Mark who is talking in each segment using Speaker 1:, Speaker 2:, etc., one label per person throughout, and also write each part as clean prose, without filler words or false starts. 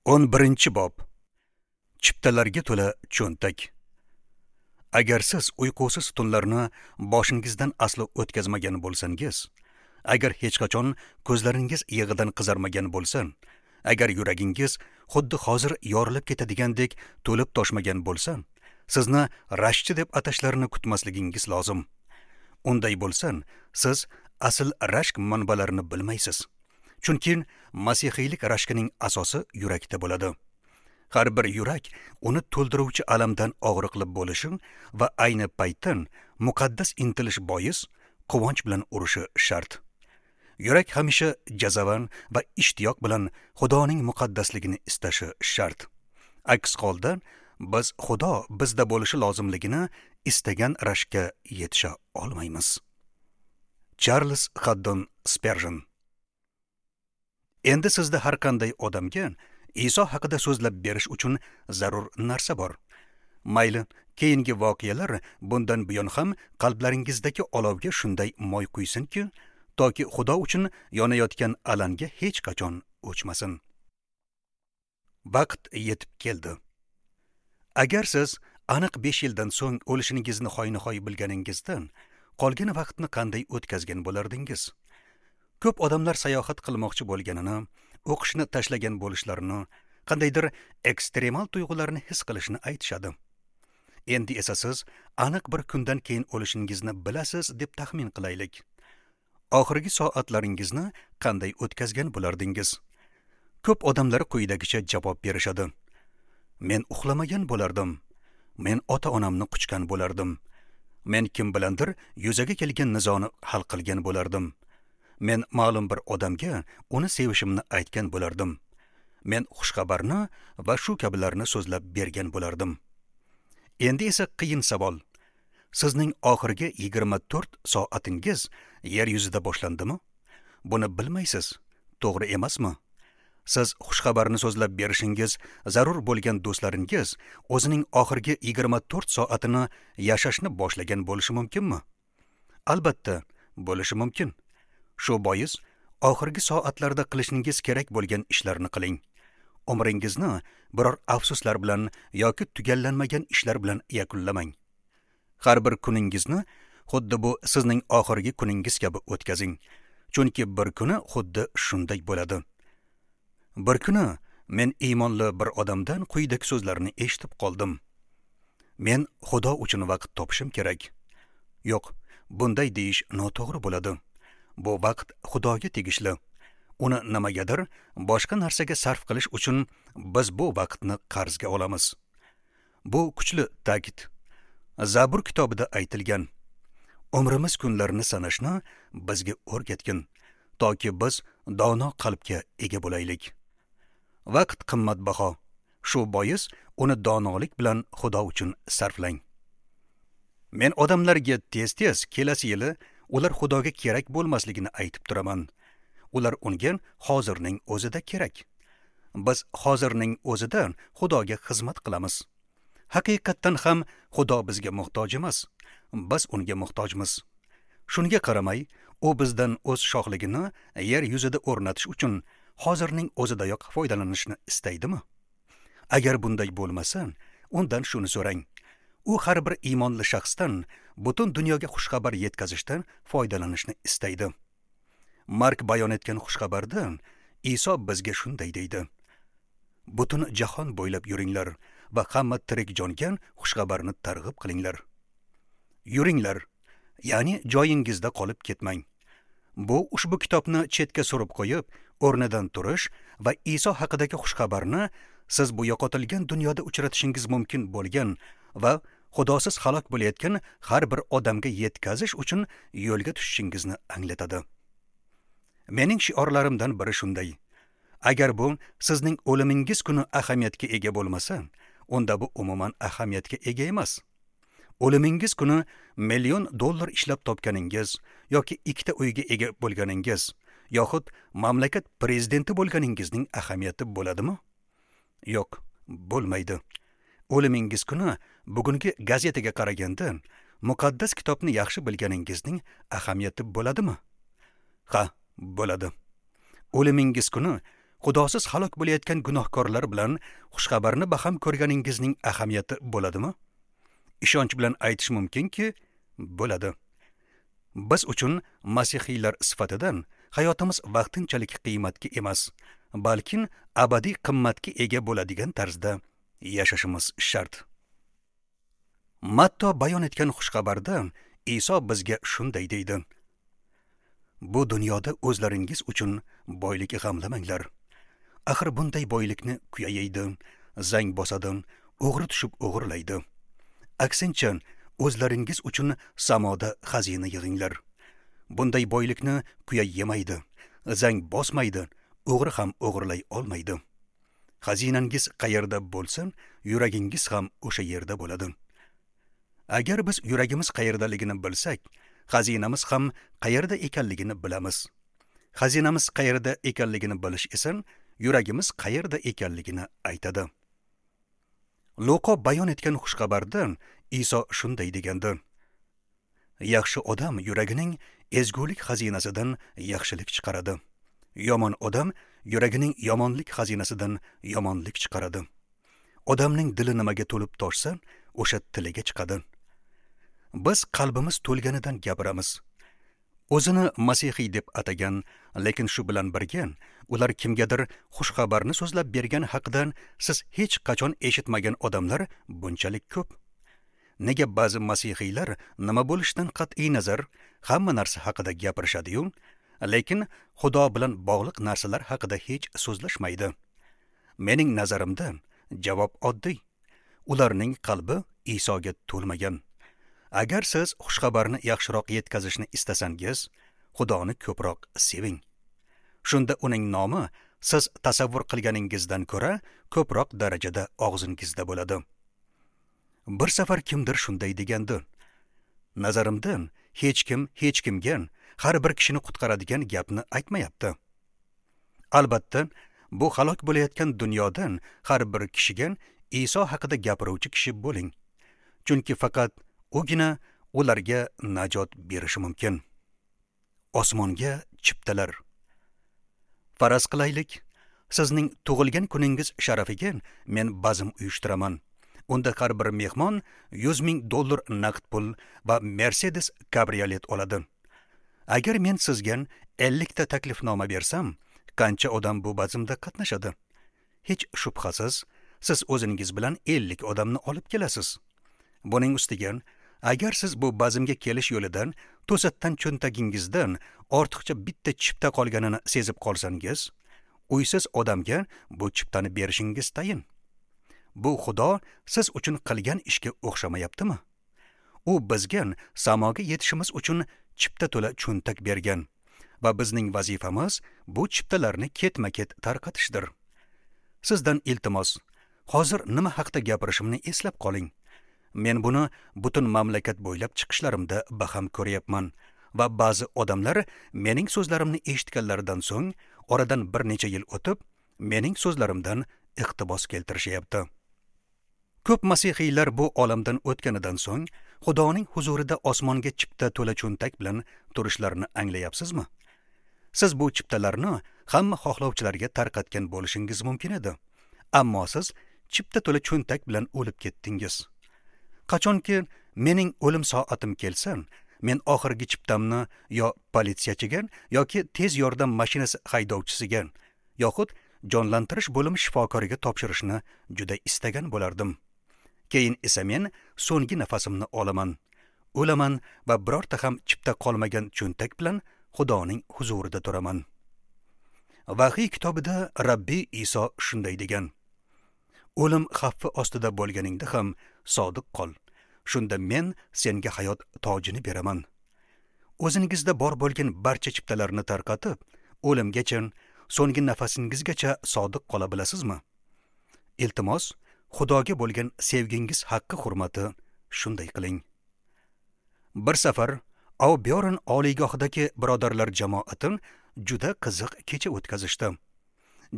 Speaker 1: 11-bob. Chiptalarga to'la cho'ntak. Agar siz uyqusiz tunlarni boshingizdan aslo o'tkazmagan bo'lsangiz, agar hech qachon ko'zlaringiz yig'idan qizarmagan bo'lsa, agar yuragingiz xuddi hozir yorilib ketadigandek to'lib toshmagan bo'lsa, sizni rashkchi deb atashlarini kutmasligingiz lozim. Unday bo'lsa, siz asl rashk manbalarini bilmaysiz. Chunki masihiylik rashkining asosi yurakda bo'ladi. Har bir yurak uni to'ldiruvchi alamdan og'riqli bo'lishi va ayni paytdan muqaddas intilish bois quvonch bilan urishi shart. Yurak hamisha jazavan va ishtiyoq bilan Xudoning muqaddasligini istashi shart. Aks holda biz Xudo bizda bo'lishi lozimligini istagan rashkka yetisha olmaymiz. Charles Haddon Sperjen. Endi sizda har qanday odamga Iso haqida so'zlab berish uchun zarur narsa bor. Mayli, keyingi voqealar bundan buyon ham qalblaringizdagi olovga shunday moy quysinki, toki Xudo uchun yonayotgan alanga hech qachon o'chmasin. Vaqt yetib keldi. Agar siz aniq 5 yildan so'ng o'lishingizni hoynahoy bilganingizdan, qolgan vaqtni qanday o'tkazgan bo'lardingiz? Ko'p odamlar sayohat qilmoqchi bo'lganini, o'qishni tashlagan bo'lishlarini, qandaydir ekstremal tuyg'ularni his qilishini aytishadi. Endi esa siz aniq bir kundan keyin o'lishingizni bilasiz deb taxmin qilaylik. Oxirgi soatlaringizni qanday o'tkazgan bo'lardingiz? Ko'p odamlar quyidagicha javob berishadi. Men uxlamagan bo'lardim. Men ota-onamni quchgan bo'lardim. Men kim bilandir yuzaga kelgan nizoni hal qilgan bo'lardim. Men ma'lum bir odamga uni sevishimni aytgan bo'lardim. Men xushxabarni va shu kabilarni so'zlab bergan bo'lardim. Endi esa qiyin savol. Sizning oxirgi 24 soatingiz yer yuzida boshlandimi? Buni bilmaysiz, to'g'ri emasmi? Siz xushxabarni so'zlab berishingiz zarur bo'lgan do'stlaringiz o'zining oxirgi 24 soatini yashashni boshlagan bo'lishi mumkinmi? Albatta, bo'lishi mumkin. Shu bois oxirgi soatlarda qilishingiz kerak bo'lgan ishlarni qiling. Umringizni biror afsuslar bilan yoki tugallanmagan ishlar bilan yakunlamang. Har bir kuningizni xuddi bu sizning oxirgi kuningiz kabi o'tkazing. Chunki bir kuni xuddi shunday bo'ladi. Bir kuni men iymonli bir odamdan quyidagi so'zlarni eshitib qoldim. Men Xudo uchun vaqt topishim kerak. Yo'q, bunday deyish noto'g'ri bo'ladi. Bu vaqt Xudoga tegishli. Uni nimagadir boshqa narsaga sarf qilish uchun biz bu vaqtni qarzga olamiz. Bu kuchli ta'kid. Zabur kitobida aytilgan. Umrimiz kunlarini sanashni bizga o'rgatgin, toki biz dono qalbga ega bo'laylik. Vaqt qimmatbaho. Shu bois uni donolik bilan Xudo uchun sarflang. Men odamlarga tez-tez kelasi yili ular Xudoga kerak bo'lmasligini aytib turaman. Ular unga hozirning o'zida kerak. Biz hozirning o'zida Xudoga xizmat qilamiz. Haqiqatdan ham Xudo bizga muhtoj emas. Biz unga muhtojmiz. Shunga qaramay, u bizdan o'z shohligini yer yuzida o'rnatish uchun hozirning o'zidayoq foydalanishni istaydimi? Agar bunday bo'lmasa, undan shuni so'rang. U har bir iymonli shaxsdan butun dunyoga xushxabar yetkazishdan foydalanishni istaydi. Mark bayon etgan xushxabarda Iso bizga shunday deydi: Butun jahon bo'ylab yuringlar va hamma tirik jonga xushxabarni targ'ib qilinglar. Yuringlar, ya'ni joyingizda qolib ketmang. Bu ushbu kitobni chetga surib qo'yib, o'rnidan turish va Iso haqidagi xushxabarni siz bu yo'qotilgan dunyoda uchratishingiz mumkin bo'lgan va Xudosiz halok bo'layotgan har bir odamga yetkazish uchun yo'lga tushishingizni anglatadi. Mening shiorlarimdan biri shunday: agar bu sizning o'limingiz kuni ahamiyatga ega bo'lmasa, unda bu umuman ahamiyatga ega emas. O'limingiz kuni $1 million ishlab topganingiz yoki 2 ta uyga ega bo'lganingiz yoxud mamlakat prezidenti bo'lganingizning ahamiyati bo'ladimi? Yo'q, bo'lmaydi. O'limingiz kuni bugungi gazetaga qaraganda muqaddas kitobni yaxshi bilganingizning ahamiyati bo'ladimi? Ha, bo'ladi. O'limingiz kuni Xudosiz halok bo'layotgan gunohkorlar bilan xushxabarni baham ko'rganingizning ahamiyati bo'ladimi? Ishonch bilan aytish mumkinki, bo'ladi. Biz uchun masihiylar sifatidan hayotimiz vaqtinchalik qiymatga emas, balkim abadiy qimmatga ega bo'ladigan tarzda yashashimiz shart. Matto bayon etgan xushxabarda Iso bizga shunday deydi: Bu dunyoda o'zlaringiz uchun boylik g'amlamanglar. Axir bunday boylikni kuya yeydi, zang bosadi, o'g'ri tushib o'g'irlaydi. Aksincha, o'zlaringiz uchun samoda xazina yig'inglar. Bunday boylikni kuya yemaydi, zang bosmaydi, o'g'ri ham o'g'irlay olmaydi. Xazinangiz qayerda bo'lsa, yuragingiz ham o'sha yerda bo'ladi. Agar biz yuragimiz qayerdaligini bilsak, xazinamiz ham qayerda ekanligini bilamiz. Xazinamiz qayerda ekanligini bilish esa yuragimiz qayerda ekanligini aytadi. Luqo bayon etgan xushxabarda Iso shunday degandi: Yaxshi odam yuragining ezgulik xazinasidan yaxshilik chiqaradi. Yomon odam yuragining yomonlik xazinasidan yomonlik chiqaradi. Odamning dili nimaga to'lib toshsa, o'sha tiliga chiqadi. Biz qalbimiz to'lganidan gapiramiz. O'zini masihiy deb atagan, lekin shu bilan birga ular kimgadir xushxabarni so'zlab bergan haqidan siz hech qachon eshitmagan odamlar bunchalik ko'p. Nega ba'zi masihiylar nima bo'lishidan qat'iy nazar hamma narsa haqida gapirishadi-yu, lekin Xudo bilan bog'liq narsalar haqida hech so'zlashmaydi? Mening nazarimda javob oddiy. Ularning qalbi Isoga to'lmagan. Agar siz xushxabarni yaxshiroq yetkazishni istasangiz, Xudoni ko'proq seving. Shunda uning nomi siz tasavvur qilganingizdan ko'ra ko'proq darajada og'zingizda bo'ladi. Bir safar kimdir shunday degandi: Nazarimda hech kim hech kimga har bir kishini qutqaradigan gapni aytmayapti. Albatta, bu halok bo'layotgan dunyodan har bir kishiga Iso haqida gapiruvchi kishi bo'ling. Chunki faqat ugina ularga najot berishi mumkin. Osmonga chiptalar. Faraz qilaylik, sizning tug'ilgan kuningiz sharafiga men bazm uyushtiraman. Unda har bir mehmon $100,000 naqd pul va Mercedes kabriolet oladi. Agar men sizga 50 ta taklifnoma bersam, qancha odam bu bazmda qatnashadi? Hech shubhasiz, siz o'zingiz bilan 50 odamni olib kelasiz. Buning ustiga, agar siz bu bazmga kelish yo'lidan to'satdan cho'ntagingizdan ortiqcha bitta chipta qolganini sezib qolsangiz, uysiz odamga bu chiptani berishingiz tayin. Bu Xudo siz uchun qilgan ishga o'xshamayaptimi? U bizga samoga yetishimiz uchun chipta to'la cho'ntak bergan va bizning vazifamiz bu chiptalarni ketma-ket tarqatishdir. Sizdan iltimos, hozir nima haqda gapirishimni eslab qoling. Men buni butun mamlakat bo'ylab chiqishlarimda baham ko'ryapman va ba'zi odamlar mening so'zlarimni eshitganlaridan so'ng oradan bir necha yil o'tib mening so'zlarimdan iqtibos keltirishyapti. Ko'p masihiylar bu olamdan o'tganidan so'ng Xudoning huzurida osmonga chipta to'la cho'ntak bilan turishlarini anglayapsizmi? Siz bu chiptalarni hamma xohlovchilarga tarqatgan bo'lishingiz mumkin edi. Ammo siz chipta to'la cho'ntak bilan o'lib ketdingiz. Qachonki mening o'lim soatim kelsa, men oxirgi chiptamni yo politsiyachiga yoki tez yordam mashinasi haydovchisiga yoxud jonlantirish bo'limi shifokoriga topshirishni juda istagan bo'lardim. Keyin esa men so'nggi nafasimni olaman, o'laman va birorta ham chipta qolmagan cho'ntak bilan Xudoning huzurida turaman. Vahiy kitobida Rabbiy Iso shunday degan: O'lim xavfi ostida bo'lganingda ham sodiq qol. Shunda men senga hayot tojini beraman. O'zingizda bor bo'lgan barcha chiptalarni tarqatib, o'limgacha, so'nggi nafasingizgacha sodiq qola bilasizmi? Iltimos, Xudoga bo'lgan sevgingiz haqqi hurmati shunday qiling. Bir safar Auburn oliygohidagi birodarlar jamoati juda qiziq kecha o'tkazishdi.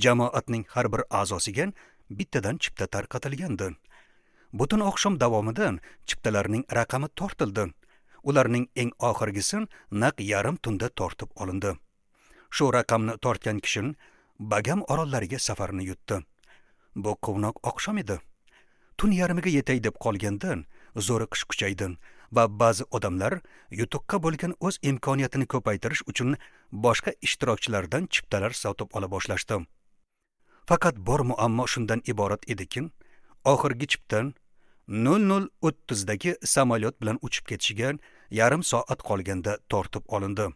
Speaker 1: Jamoatning har bir a'zosiga bittadan chipta tarqatilgandi. Butun oqshom davomida chiptalarning raqami tortildi. Ularning eng oxirgisi naq yarim tunda tortib olindi. Shu raqamni tortgan kishi Bagam orollariga safarni yutdi. Bu quvnoq oqshom edi. Tun yarmiga yetay deb qolgandan zo'riqish kuchaydi va ba'zi odamlar yutuqqa bo'lgan o'z imkoniyatini ko'paytirish uchun boshqa ishtirokchilardan chiptalar sotib ola boshlashdi. Faqat bor muammo shundan iborat ediki, oxirgi chiptan 00:30 dagi samolyot bilan uchib ketishiga yarim soat qolganda tortib olindi.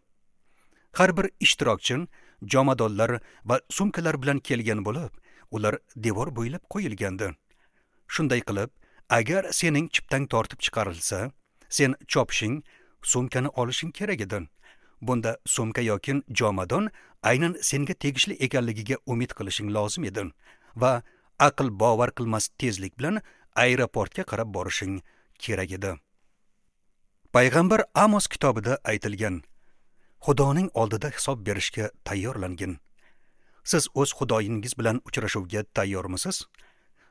Speaker 1: Har bir ishtirokchi jomadonlar va sumkalar bilan kelgan bo'lib, ular devor bo'ylab qo'yilgandi. Shunday qilib, agar sening chiptang tortib chiqarilsa, sen chopishing, sumkani olishing kerak edi. Bunda sumka yoki jomadon aynan senga tegishli ekanligiga umid qilishing lozim edi va aql bovar qilmas tezlik bilan aeroportga qarab borishing kerak edi. Payg'ambar Amos kitobida aytilgan: Xudoning oldida hisob berishga tayyorlangin. Siz o'z Xudoyingiz bilan uchrashuvga tayyormisiz?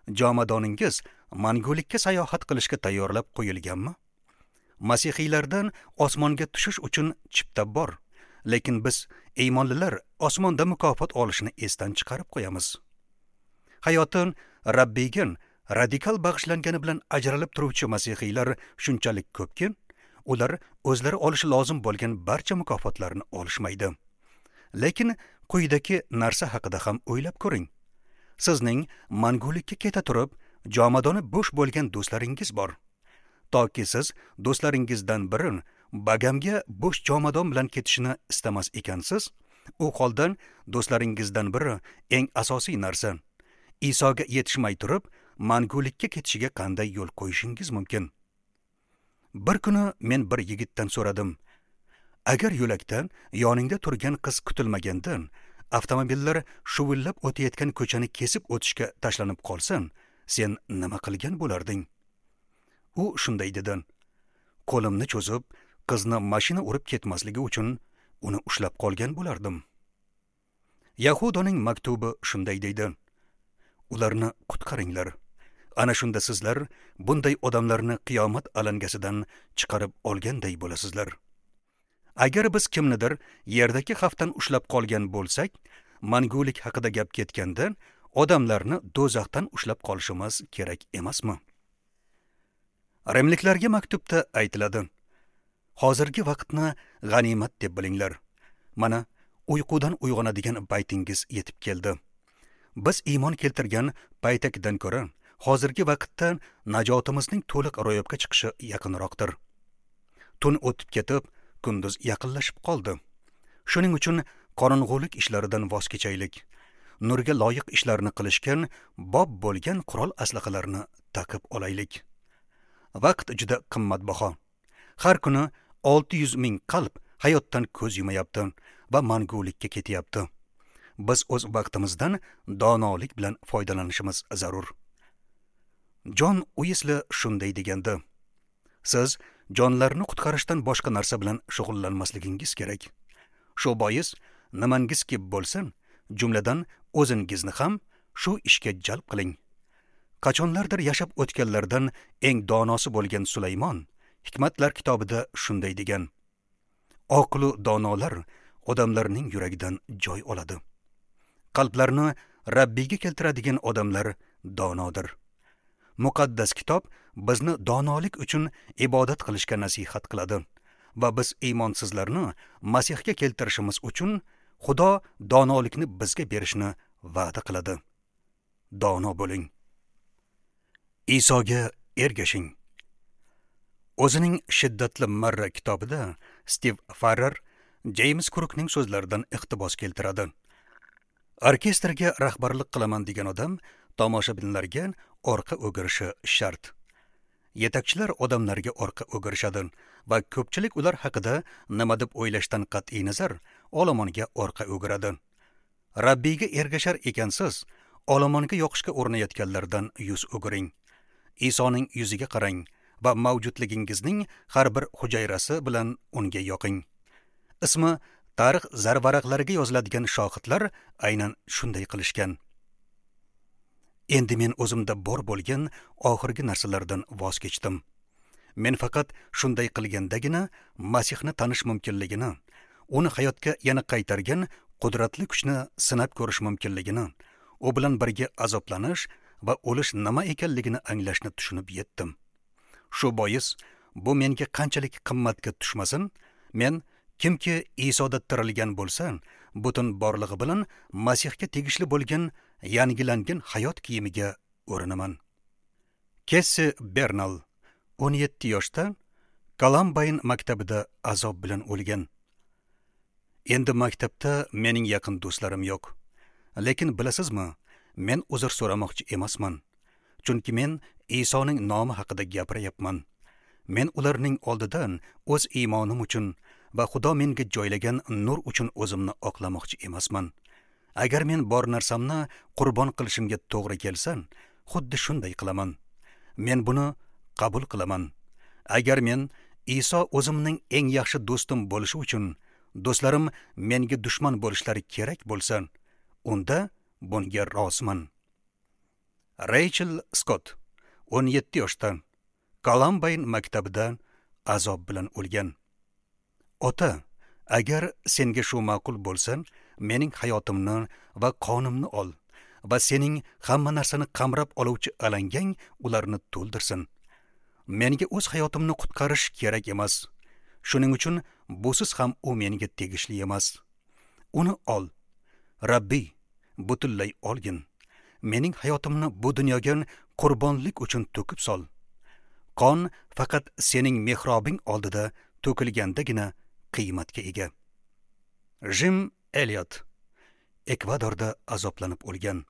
Speaker 1: Jomadoningiz mangulikka sayohat qilishga tayyorlab qo'yilganmi? Masihiylardan osmonga tushish uchun chipta bor, lekin biz iymonlilar osmonda mukofot olishni esdan chiqarib qo'yamiz. Hayotin Rabbiyga radikal bag'ishlangani bilan ajralib turuvchi masihiylar shunchalik ko'pki, ular o'zlari olishi lozim bo'lgan barcha mukofotlarni olishmaydi. Lekin quyidagi narsa haqida ham o'ylab ko'ring. Sizning mangulikka keta turib, jomadoni bo'sh bo'lgan do'stlaringiz bor. Toki siz do'stlaringizdan biri Bagamga bo'sh jomadon bilan ketishini istamas ekansiz, u holdan do'stlaringizdan biri eng asosiy narsa Isoga yetishmay turib, mangulikka ketishiga qanday yo'l qo'yishingiz mumkin? Bir kuni men bir yigitdan so'radim: agar yo'lakda yoningda turgan qiz kutilmagandan avtomobillar shuvillab o'tayotgan ko'chani kesib o'tishga tashlanib qolsin, sen nima qilgan bo'larding? U shunday dedi: qo'limni cho'zib, qizni mashina urib ketmasligi uchun uni ushlab qolgan bo'lardim. Yahudoning maktubi shunday deydi: ularni qutqaringlar. Ana shunda sizlar bunday odamlarni qiyomat alangasidan chiqarib olganday bo'lasizlar. Agar biz kimnidir yerdagi xavfdan ushlab qolgan bo'lsak, mangulik haqida gap ketganda odamlarni do'zaxdan ushlab qolishimiz kerak emasmi? Rimliklarga maktubda aytiladi: hozirgi vaqtni g'animat deb bilinglar. Mana uyqudan uyg'onadigan paytingiz yetib keldi. Biz iymon keltirgan paytakidan ko'ra hozirgi vaqtda najotimizning to'liq ro'yobga chiqishi yaqinroqdir. Tun o'tib ketib, kunduz yaqinlashib qoldi. Shuning uchun qorong'ulik ishlaridan voz kechaylik. Nurga loyiq ishlarni qilishgan bob bo'lgan qurol aslahalarni taqib olaylik. Vaqt juda qimmatbaho. Har kuni 600 ming qalb hayotdan ko'z yumayapti va mangulikka ketyapti. Biz o'z vaqtimizdan donolik bilan foydalanishimiz zarur. Jon Uisli shunday degandi: siz jonlarni qutqarishdan boshqa narsa bilan shug'ullanmasligingiz kerak. Shu bois nimangiz kelib bo'lsin, jumladan o'zingizni ham shu ishga jalb qiling. Qachonlardir yashab o'tganlardan eng donosi bo'lgan Sulaymon Hikmatlar kitobida shunday degan: oqlu donolar odamlarning yuragidan joy oladi. Qalblarni Rabbiyga keltiradigan odamlar donodir. Muqaddas kitob bizni donolik uchun ibodat qilishga nasihat qiladi va biz iymonsizlarni Masihga keltirishimiz uchun Xudo donolikni bizga berishni va'da qiladi. Dono bo'ling. Isoga ergashing. O'zining Shiddatli marra kitobida Stiv Farrar Jeyms Krukning so'zlaridan iqtibos keltiradi. Orkestrga rahbarlik qilaman degan odam tomoshabinlarga orqa o'girishi shart. Yetakchilar odamlarga orqa o'girishadi va ko'pchilik ular haqida nima deb o'ylashdan qat'iy nazar olomonga orqa o'giradi. Rabbiyga ergashar ekansiz, olomonga yoqishga urinayotganlardan yuz o'giring. Isoning yuziga qarang va mavjudligingizning har bir hujayrasi bilan unga yoqing. Ismi tarix zarvaraqlariga yoziladigan shohidlar aynan shunday qilishgan. Endi men o'zimda bor bo'lgan oxirgi narsalardan voz kechdim. Men faqat shunday qilgandagina Masihni tanish mumkinligini, uni hayotga yana qaytargan qudratli kuchni sinab ko'rish mumkinligini, u bilan birga azoblanish va o'lish nima ekanligini anglashni tushunib yetdim. Shu bois bu menga qanchalik qimmatga tushmasin, men kimki Isoda tirilgan bo'lsa, butun borlig'i bilan Masihga tegishli bo'lgan yangilangan hayot kiyimiga o'rinaman. Kessi Bernal 17 yoshda Kolumbayn maktabida azob bilan o'lgan. Endi maktabda mening yaqin do'stlarim yo'q. Lekin bilasizmi, men uzr so'ramoqchi emasman. Chunki men Isoning nomi haqida gapiryapman. Men ularning oldidan o'z iymonim uchun va Xudo menga joylagan nur uchun o'zimni oqlamoqchi emasman. Agar men bor narsamni qurbon qilishimga to'g'ri kelsa, xuddi shunday qilaman. Men buni qabul qilaman. Agar men Iso o'zimning eng yaxshi do'stim bo'lishi uchun do'stlarim menga dushman bo'lishlari kerak bo'lsa, unda bunga roziman. Rachel Scott 17 yoshda Kolumbayn maktabida azob bilan o'lgan. Ota, agar senga shu ma'qul bo'lsa, mening hayotimni va qonimni ol va sening hamma narsani qamrab oluvchi alangang ularni to'ldirsin. Menga o'z hayotimni qutqarish kerak emas. Shuning uchun busiz ham u menga tegishli emas. Uni ol. Rabbiy, butunlay olgin. Mening hayotimni bu dunyoga qurbonlik uchun to'kib sol. Qon faqat sening mehrobing oldida to'kilgandagina qiymatga ega. Jim Elliot Ekvadorda azoblanib o'lgan.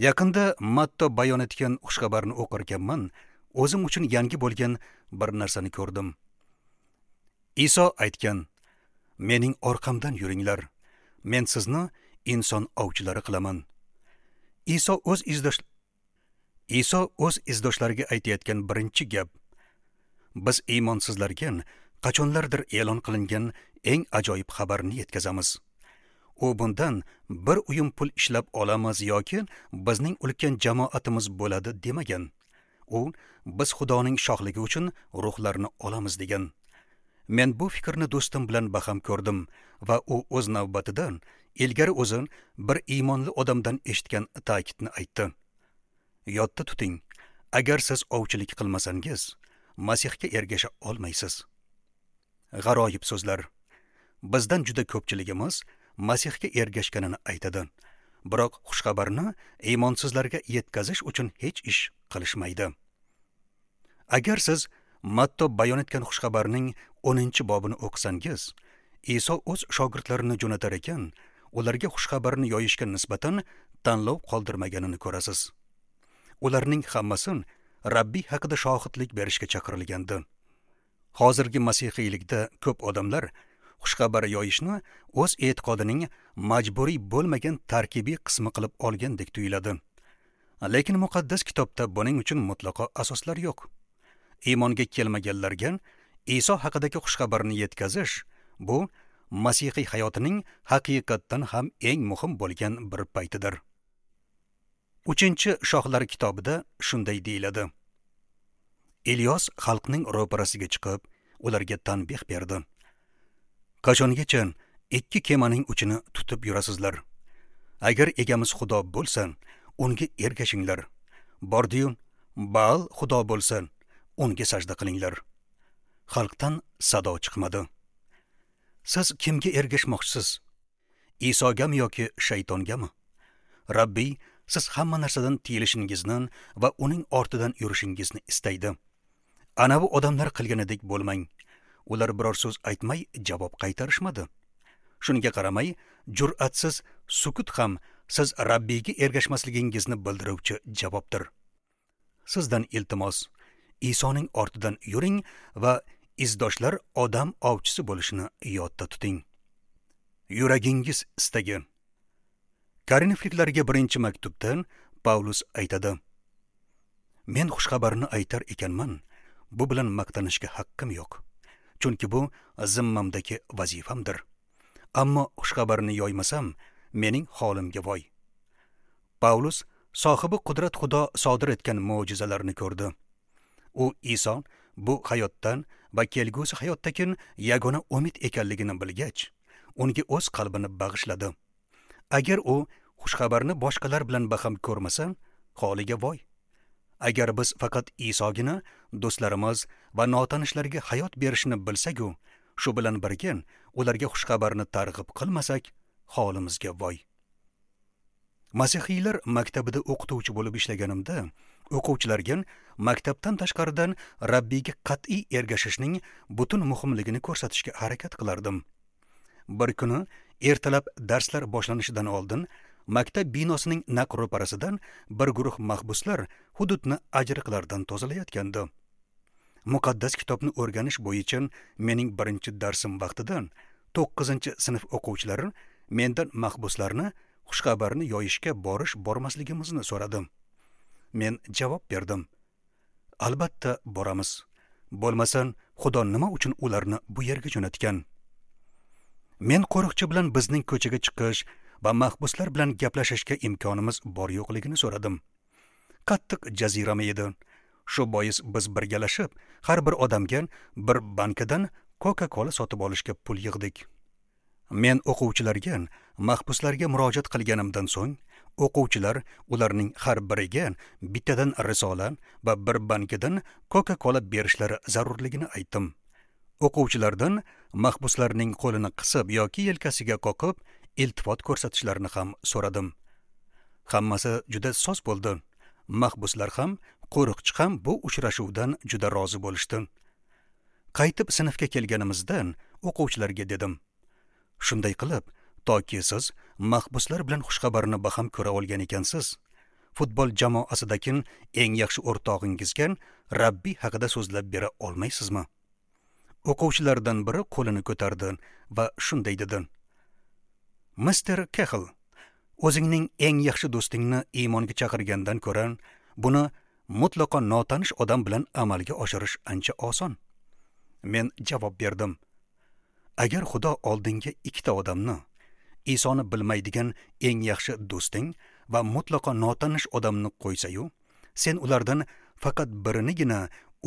Speaker 1: Yaqinda Matto bayon etgan xushxabarni o'qirkanman, o'zim uchun yangi bo'lgan bir narsani ko'rdim. Iso aytgan: "Mening orqamdan yuringlar. Men sizni inson ovchilari qilaman." Iso o'z izdoshlariga aytayotgan birinchi gap: biz iymonsizlarga qachonlardir e'lon qilingan eng ajoyib xabarni yetkazamiz. U bundan bir uyum pul ishlab olamiz yoki bizning ulkan jamoatimiz bo'ladi demagan. U biz Xudoning shohligi uchun ruhlarni olamiz degan. Men bu fikrni do'stim bilan baham ko'rdim va u o'z navbatida ilgari o'zi bir iymonli odamdan eshitgan ta'kidni aytdi. Yodda tuting, agar siz ovchilik qilmasangiz, Masihga ergasha olmaysiz. G'aroyib so'zlar. Bizdan juda ko'pchiligimiz Masihga ergashganini aytadi. Biroq xushxabarni iymonsizlarga yetkazish uchun hech ish qilishmaydi. Agar siz Matto bayon etgan xushxabarning 10-bobini o'qisangiz, Iso o'z shogirdlarini jo'natar ekan, ularga xushxabarni yoyishga nisbatan tanlov qoldirmaganini ko'rasiz. Ularning hammasi Rabbiy haqida shohidlik berishga chaqirilgandi. Hozirgi masihiylikda ko'p odamlar xushxabar yoyishni o'z e'tiqodining majburiy bo'lmagan tarkibiy qismi qilib olgandek tuyuladi. Lekin muqaddas kitobda buning uchun mutlaqo asoslar yo'q. Iymonga kelmaganlarga Iso haqidagi xushxabarni yetkazish bu masihiy hayotining haqiqatdan ham eng muhim bo'lgan bir paytidir. 3-Shohlar kitobida shunday deyiladi: Ilyos xalqning ro'parasiga chiqib, ularga tanbeh berdi. Qachongacha ikki kemaning uchini tutib yurasizlar? Agar egamiz Xudo bo'lsa, unga ergashinglar. Bordiyu Baal Xudo bo'lsa, unga sajda qilinglar. Xalqdan sado chiqmadi. Siz kimga ergashmoqchisiz? Isogami yoki shaytongami? Rabbiy siz hamma narsadan tiyilishingizni va uning ortidan yurishingizni istaydi. Ana bu odamlar qilganidek bo'lmang. Ular biror so'z aytmay javob qaytarishmadi. Shunga qaramay, jur'atsiz sukut ham siz Rabbiyga ergashmasligingizni bildiruvchi javobdir. Sizdan iltimos, Isoning ortidan yuring va izdoshlar odam ovchisi bo'lishini yodda tuting. Yuragingiz istagi. Korinfliklarga 1-maktubdan Pavlus aytadi: Men xushxabarni aytar ekanman, bu bilan maqtanishga haqqim yo'q. Chunki bu zimmamdagi vazifamdir. Ammo xushxabarni yoymasam, mening holimga voy. Pavlus sohibi qudrat Xudo sodir etgan mo'jizalarni ko'rdi. U Iso bu hayotdan va kelgusi hayotdagi yagona umid ekanligini bilgach, unga o'z qalbini bag'ishladi. Agar u xushxabarni boshqalar bilan baham ko'rmasa, holiga voy. Agar biz faqat Isogina do'stlarimiz va notanishlarga hayot berishini bilsak-u, shu bilan birga ularga xushxabarni targ'ib qilmasak, holimizga voy. Masihiylar maktabida o'qituvchi bo'lib ishlaganimda, o'quvchilarga maktabdan tashqaridan Rabbiyga qat'iy ergashishning butun muhimligini ko'rsatishga harakat qilardim. Bir kuni ertalab darslar boshlanishidan oldin maktab binosining naq ro'parasidan bir guruh mahbuslar hududni ajriqlardan tozalayotgandi. Muqaddas kitobni o'rganish bo'yicha mening birinchi darsim vaqtida 9-sinf o'quvchilari mendan mahbuslarni xushxabarni yoyishga borish bormasligimizni so'radi. Men javob berdim: Albatta boramiz. Bo'lmasa, Xudo nima uchun ularni bu yerga jo'natgan? Men qo'riqchi bilan bizning ko'chaga chiqish va mahbuslar bilan gaplashishga imkonimiz bor yo'qligini so'radim. Qattiq jazirama edi. Shu bois biz birgalashib har bir odamga bir bankadan Coca-Cola sotib olishga pul yig'dik. Men o'quvchilarga mahbuslarga murojaat qilganimdan so'ng, o'quvchilar ularning har biriga bittadan risola va bir bankadan Coca-Cola berishlari zarurligini aytdim. O'quvchilardan mahbuslarning qo'lini qisib yoki yelkasiga qoqib iltifot ko'rsatishlarini ham so'radim. Hammasi juda soz bo'ldi. Mahbuslar ham, qo'riqchi ham bu uchrashuvdan juda rozi bo'lishdi. Qaytib sinfga kelganimizdan o'quvchilarga dedim: Shunday qilib, toki siz mahbuslar bilan xushxabarni baham ko'ra olgan ekansiz, futbol jamoasidagi eng yaxshi o'rtog'ingizga Rabbiy haqida so'zlab bera olmaysizmi? O'quvchilardan biri qo'lini ko'tardi va shunday dedi: Mister Kehl, o'zingning eng yaxshi do'stingni iymonga chaqirgandan ko'ra, buni mutlaqo notanish odam bilan amalga oshirish ancha oson. Men javob berdim: Agar Xudo oldinga ikkita odamni, Isoni bilmaydigan eng yaxshi do'sting va mutlaqo notanish odamni qo'ysa-yu, sen ulardan faqat birinigina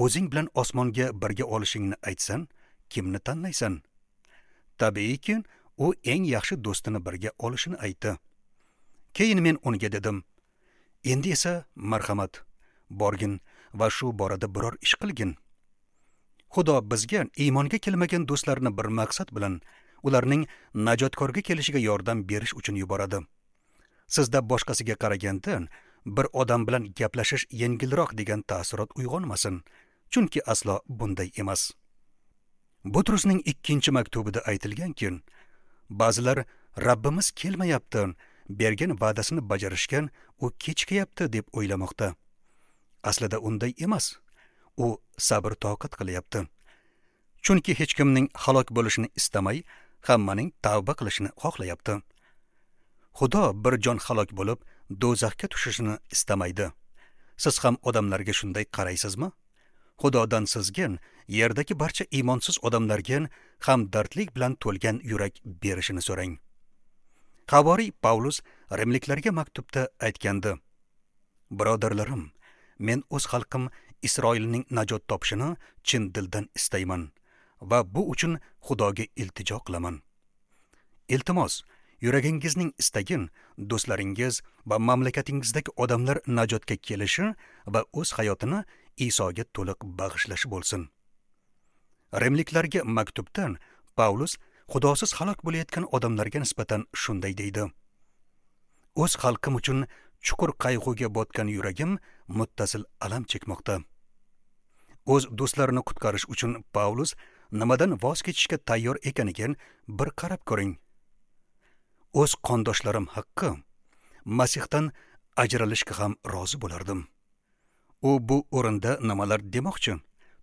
Speaker 1: o'zing bilan osmonga birga olishingni aytsan, kimni tanlaysan? Tabiiyki, u eng yaxshi do'stini birga olishini aytdi. Keyin men unga dedim: Endi esa marhamat, borgin va shu borada biror ish qilgin. Xudo bizga iymonga kelmagan do'stlarni bir maqsad bilan ularning najotkorga kelishiga yordam berish uchun yuboradi. Sizda boshqasiga qaraganda bir odam bilan gaplashish yengilroq degan taassurot uyg'onmasin, chunki aslo bunday emas. Butrusning 2 maktubida aytilganki, ba'zilar Rabbimiz kelmayapti, bergan va'dasini bajarishgan u kechikayapti deb o'ylamoqda. Aslida unday emas. U sabr toqat qilyapti. Chunki hech kimning halok bo'lishini istamay, hammaning tavba qilishini xohlayapti. Xudo bir jon halok bo'lib, do'zaxga tushishini istamaydi. Siz ham odamlarga shunday qaraysizmi? Xudodan sizga yerdagi barcha iymonsiz odamlarga hamdardlik bilan to'lgan yurak berishini so'rang. Havoriy Pavlus rimliklarga maktubda aytgandi: Birodarlarim, men o'z xalqim Isroilning najot topishini chin dildan istayman va bu uchun Xudoga iltijo qilaman. Iltimos, yuragingizning istagin do'stlaringiz va mamlakatingizdagi odamlar najotga kelishi va o'z hayotini Isoga to'liq bag'ishlashi bo'lsin. Rimliklarga maktubdan Pavlus Xudosiz halok bo'layotgan odamlarga nisbatan shunday deydi: O'z xalqim uchun chuqur qayg'uga botgan yuragim muttasil alam chekmoqda. O'z do'stlarini qutqarish uchun Pavlus nimadan voz kechishga tayyor ekaniga bir qarab ko'ring. O'z qondoshlarim haqqi Masihdan ajralishga ham rozi bo'lardim. U bu o'rinda nimalar demoqchi?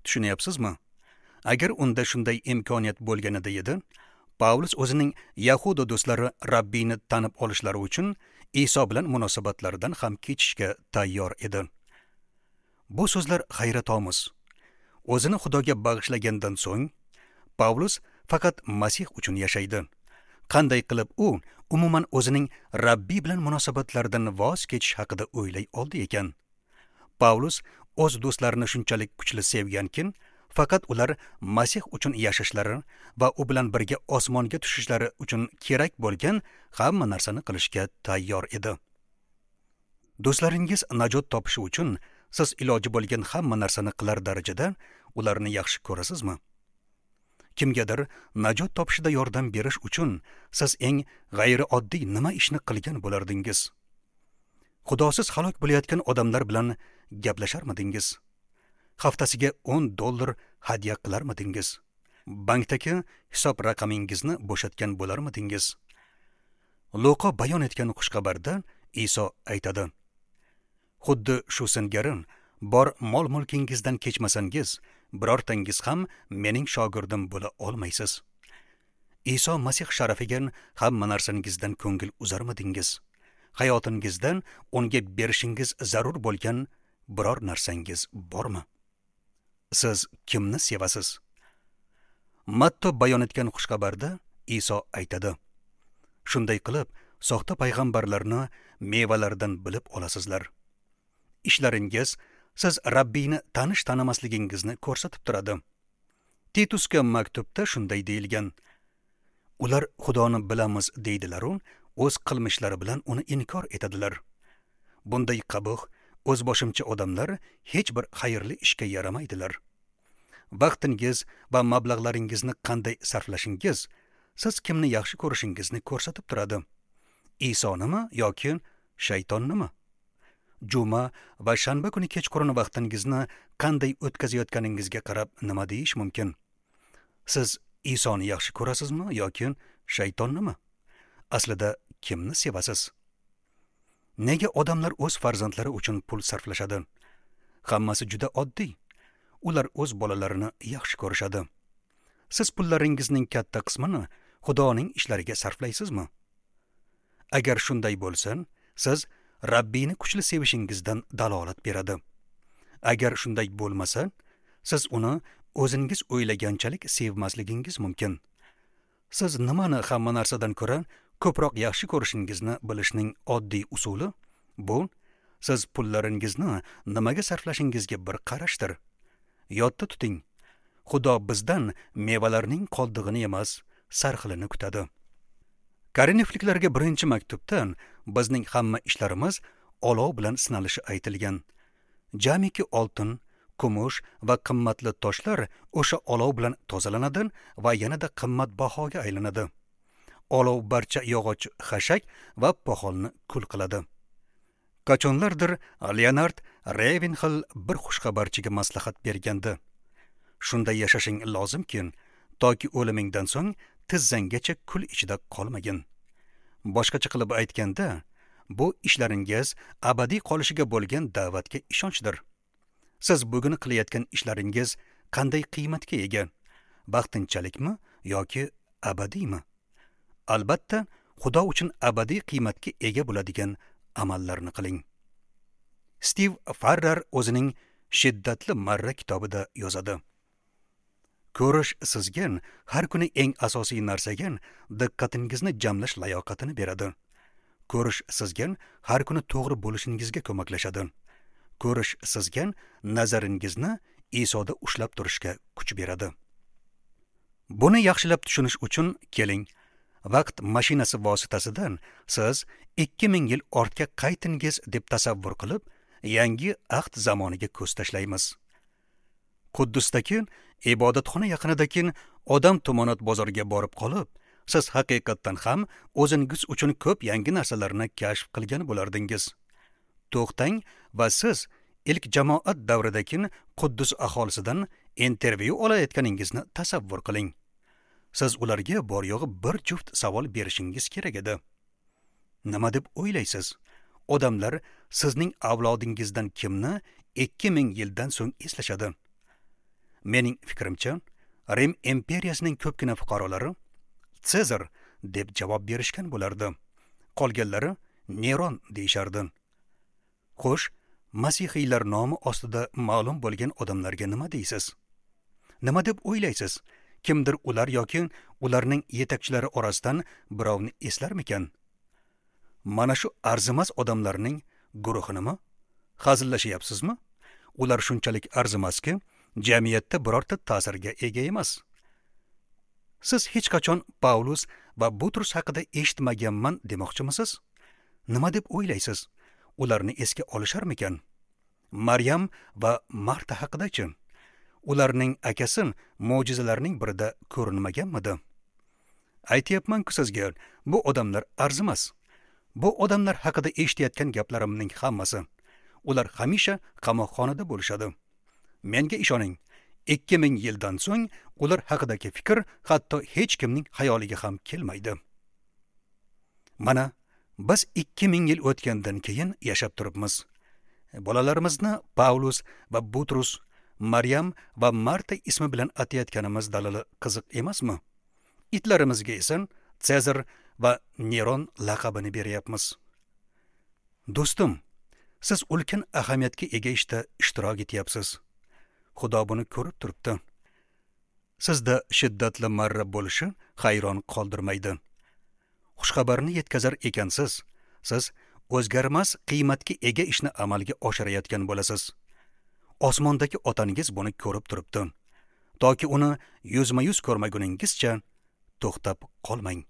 Speaker 1: Tushunyapsizmi? Agar unda shunday imkoniyat bo'lganida edi, Pavlus o'zining Yahuda do'stlari Rabbiyni tanib olishlari uchun Iso bilan munosabatlaridan ham kechishga tayyor edi. Bu so'zlar hayratomuz. O'zini Xudoga bag'ishlagandan so'ng Pavlus faqat Masih uchun yashaydi. Qanday qilib u umuman o'zining Rabbiy bilan munosabatlaridan voz kechish haqida o'ylay oldi ekan? Pavlus o'z do'stlarini shunchalik kuchli sevgankin, Faqat ular Masih uchun yashashlari va u bilan birga osmonga tushishlari uchun kerak bo'lgan hamma narsani qilishga tayyor edi. Do'stlaringiz najot topishi uchun siz iloji bo'lgan hamma narsani qilar darajada ularni yaxshi ko'rasizmi? Kimgadir najot topishida yordam berish uchun siz eng g'ayrioddiy nima ishni qilgan bo'lardingiz? Xudosiz halok bo'layotgan odamlar bilan gaplasharmidingiz? Haftasiga $10 hadya qilarmidingiz? Bankdagi hisob raqamingizni bo'shatgan bo'larmidingiz? Luqo bayon etgan xushxabarda Iso aytadi: Xuddi shu singari bor mol-mulkingizdan kechmasangiz, birortangiz ham mening shogirdim bo'la olmaysiz. Iso Masih sharafiga hamma narsangizdan ko'ngil uzarmidingiz? Hayotingizdan unga berishingiz zarur bo'lgan biror narsangiz bormi? Siz kimni sevasiz? Matto bayon etgan xushxabarda Iso aytadi: Shunday qilib, soxta payg'ambarlarni mevalaridan bilib olasizlar. Ishlaringiz siz Rabbiyni tanish tanimasligingizni ko'rsatib turadi. Titusga maktubda shunday deyilgan: Ular Xudoni bilamiz deydilar-u, o'z qilmishlari bilan uni inkor etadilar. Bunday qabih, o'zboshimcha odamlar hech bir xayrli ishga yaramaydilar. Vaqtingiz va mablag'laringizni qanday sarflashingiz siz kimni yaxshi ko'rishingizni ko'rsatib turadi. Isonimi yoki shaytonnimi? Juma va shanba kuni kechqurun vaqtingizni qanday o'tkazayotganingizga qarab nima deyish mumkin? Siz Isoni yaxshi ko'rasizmi yoki shaytonnimi? Aslida kimni sevasiz? Nega odamlar o'z farzandlari uchun pul sarflashadi? Hammasi juda oddiy. Ular o'z bolalarini yaxshi ko'rishadi. Siz pullaringizning katta qismini Xudoning ishlariga sarflaysizmi? Agar shunday bo'lsa, siz Rabbiyni kuchli sevishingizdan dalolat beradi. Agar shunday bo'lmasa, siz uni o'zingiz o'ylaganchalik sevmasligingiz mumkin. Siz nimani hamma narsadan ko'ra ko'proq yaxshi ko'rishingizni bilishning oddiy usuli bu siz pullaringizni nimaga sarflashingizga bir qarashdir. Yodda tuting, Xudo bizdan mevalarning qoldig'ini emas, sarxilini kutadi. Korinfliklarga birinchi maktubdan bizning hamma ishlarimiz olov bilan sinalishi aytilgan. Jamiki oltin, kumush va qimmatli toshlar o'sha olov bilan tozalanadi va yanada qimmatbahoga aylanadi. Olov barcha yog'och, xashak va poxolni kul qiladi. Qachonlardir Leonard Ravenhill bir xushxabarchiga maslahat bergandi. Shunday yashashing lozimki, toki o'limingdan so'ng tizzanggacha kul ichida qolmagin. Boshqacha qilib aytganda, bu ishlaringiz abadiy qolishiga bo'lgan da'vatga ishonchdir. Siz bugun qilayotgan ishlaringiz qanday qiymatga ega? Vaqtinchalikmi yoki abadiymi? Albatta, Xudo uchun abadiy qiymatga ega bo'ladigan amallarni qiling. Stiv Farrar o'zining Shiddatli marra kitobida yozadi. Ko'rish sizga har kuni eng asosiy narsaga diqqatingizni jamlash layoqatini beradi. Ko'rish sizga har kuni to'g'ri bo'lishingizga ko'maklashadi. Ko'rish sizga nazaringizni Isoda ushlab turishga kuch beradi. Buni yaxshilab tushunish uchun keling, vaqt mashinasi vositasidan siz 2000 yil ortga qaytingiz deb tasavvur qilib, yangi ahd zamoniga ko'z tashlaymiz. Quddusdagi ibodatxona yaqinidagi odam tumonat bozoriga borib qolib, siz haqiqatdan ham o'zingiz uchun ko'p yangi narsalarni kashf qilgan bo'lardingiz. To'xtang va siz ilk jamoat davridagi Quddus aholisidan intervyu olayotganingizni tasavvur qiling. Siz ularga bor yo'g'i bir juft savol berishingiz kerak edi. Nima deb o'ylaysiz? Odamlar sizning avlodingizdan kimni 2000 yildan so'ng eslashadi? Mening fikrimcha, Rim imperiyasining ko'pgina fuqarolari Sezar deb javob berishgan bo'lardi. Qolganlari Neron deyishardi. Xo'sh, masihiylar nomi ostida ma'lum bo'lgan odamlarga nima deysiz? Nima deb o'ylaysiz? Kimdir ular yoki ularning yetakchilari orasidan birovni eslarmikan? Mana shu arzimas odamlarning guruhinimi? Hazillashyapsizmi? Ular shunchalik arzimaski, jamiyatda birorta ta'sirga ega emas. Siz hech qachon Pavlus va Butrus haqida eshitmaganman demoqchimisiz? Nima deb o'ylaysiz? Ularni esga olisharmikan? Maryam va Marta haqida-chi? Ularning akasi mo'jizalarning birida ko'rinmaganmidi? Aytyapman-ku sizga, bu odamlar arzimas. Bu odamlar haqida eshitayotgan gaplarimning hammasi. Ular hamisha qamoqxonada bo'lishadi. Menga ishoning, 2000 yildan so'ng ular haqidagi fikr hatto hech kimning xayoliga ham kelmaydi. Mana biz 2000 yil o'tgandan keyin yashab turibmiz. Bolalarimizni Pavlus va Butrus, Maryam va Marta ismi bilan atayotganimiz dalili qiziq emasmi? Itlarimizga esa Sezar va Neron laqabini beryapmiz. Do'stim, siz ulkan ahamiyatga ega ishda ishtirok etyapsiz. Xudo buni ko'rib turibdi. Sizda shiddatli marra bo'lishi hayron qoldirmaydi. Xushxabarni yetkazar ekansiz, siz o'zgarmas qiymatga ega ishni amalga oshirayotgan bo'lasiz. Osmondagi otangiz buni ko'rib turibdi. Toki uni yuzma-yuz ko'rmaguningizcha to'xtab qolmang.